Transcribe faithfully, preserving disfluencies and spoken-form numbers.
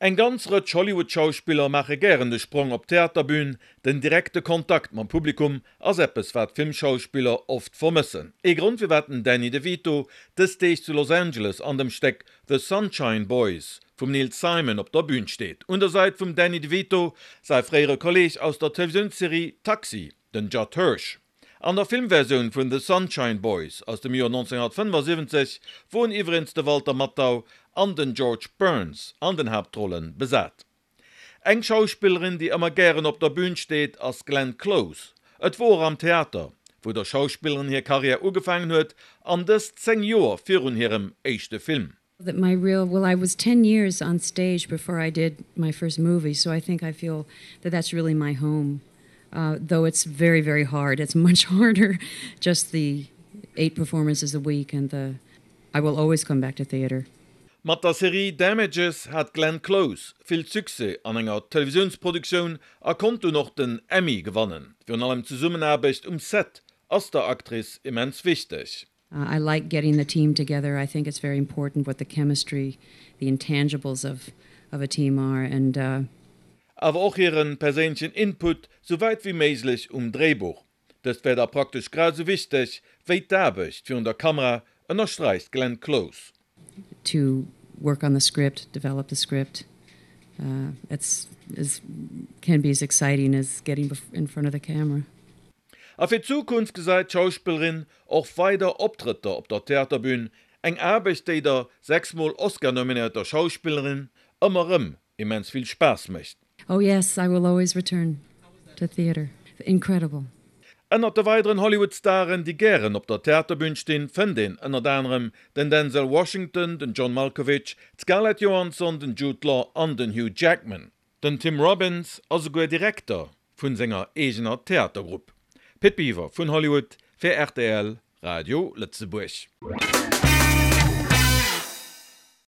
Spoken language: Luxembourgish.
Eng ganz Rëtsch Hollywood-Schauspiller maache gären de Sprong op d'Theaterbün. Den direkte Kontakt mam Publikum ass eppes, wat Filmschauspiller oft vermëssen. Ee Grond, firwat den Danny DeVito dës Deeg zu Los Angeles an dem Stéck The Sunshine Boys vum Neil Simon op der Bün steet. Un der Säit vum Danny DeVito säi fréiere Kolleeg aus der Televisiounsserie Taxi, den Judd Hirsch. An der Filmversioun vun The Sunshine Boys aus dem Joer nonzénghunnertfënnefasiwwenzeg woren iwweregens de Walter Matthau an den George Burns an den Haaptrolle besat. Eng Schauspillerin, déi ëmmer gären op der Bün steet, ass d'Glenn Close. Et wor am Theater, wou der Schauspillerin hir Karriär ugefaangen huet, an dëst zéng Joer virun hirem éischte Film. That my real well I was ten years on stage before I did my first movie, so I think I feel that that's really my home. Uh, though it's very very hard. It's much harder just the eight performances a week and the I will always come back to theater. Mat der Serie Damages hat d'Glenn Close vill Succès an enger Televisiounsproduktioun a konnt dunn och den Emmy gewannen. Virun allem d'Zesummenaarbecht um Set ass der Actrice immens wichteg. I like getting the team together. I think it's very important what the chemistry, the intangibles of of a team are and uh, Awer och hiren perséinlechen Input sou wäit wéi méiglech um Dréibuch. Dëst wär da praktesch grad sou wichteg wéi d'Aarbecht virun der Kamera, ënnersträicht d'Glenn Close. To work on the script, develop the script, uh, it's is can be as exciting as getting in front of the camera. A fir d'Zukunft gesäit d'Schauspillerin och weider Optrëtter op der Theaterbün, eng Aarbecht, déi der sechsmol Oscar-nominéierter Schauspillerin ëmmer erëm immens vill Spaass mécht. Oh yes, I will always return to theater. Incredible. Ënnert de weideren Hollywood-Staren, déi gären op der Theaterbün stinn, fënnt een ënnert anerem den Denzel Washington, den John Malkovich, d'Scarlett Johansson, den Jude Law an den Hugh Jackman. Den Tim Robbins ass esouguer Direkter vu senger eegener Theatergrupp. Pit Biwer vun Hollywood fir rtl Radio Lëtzebuerg.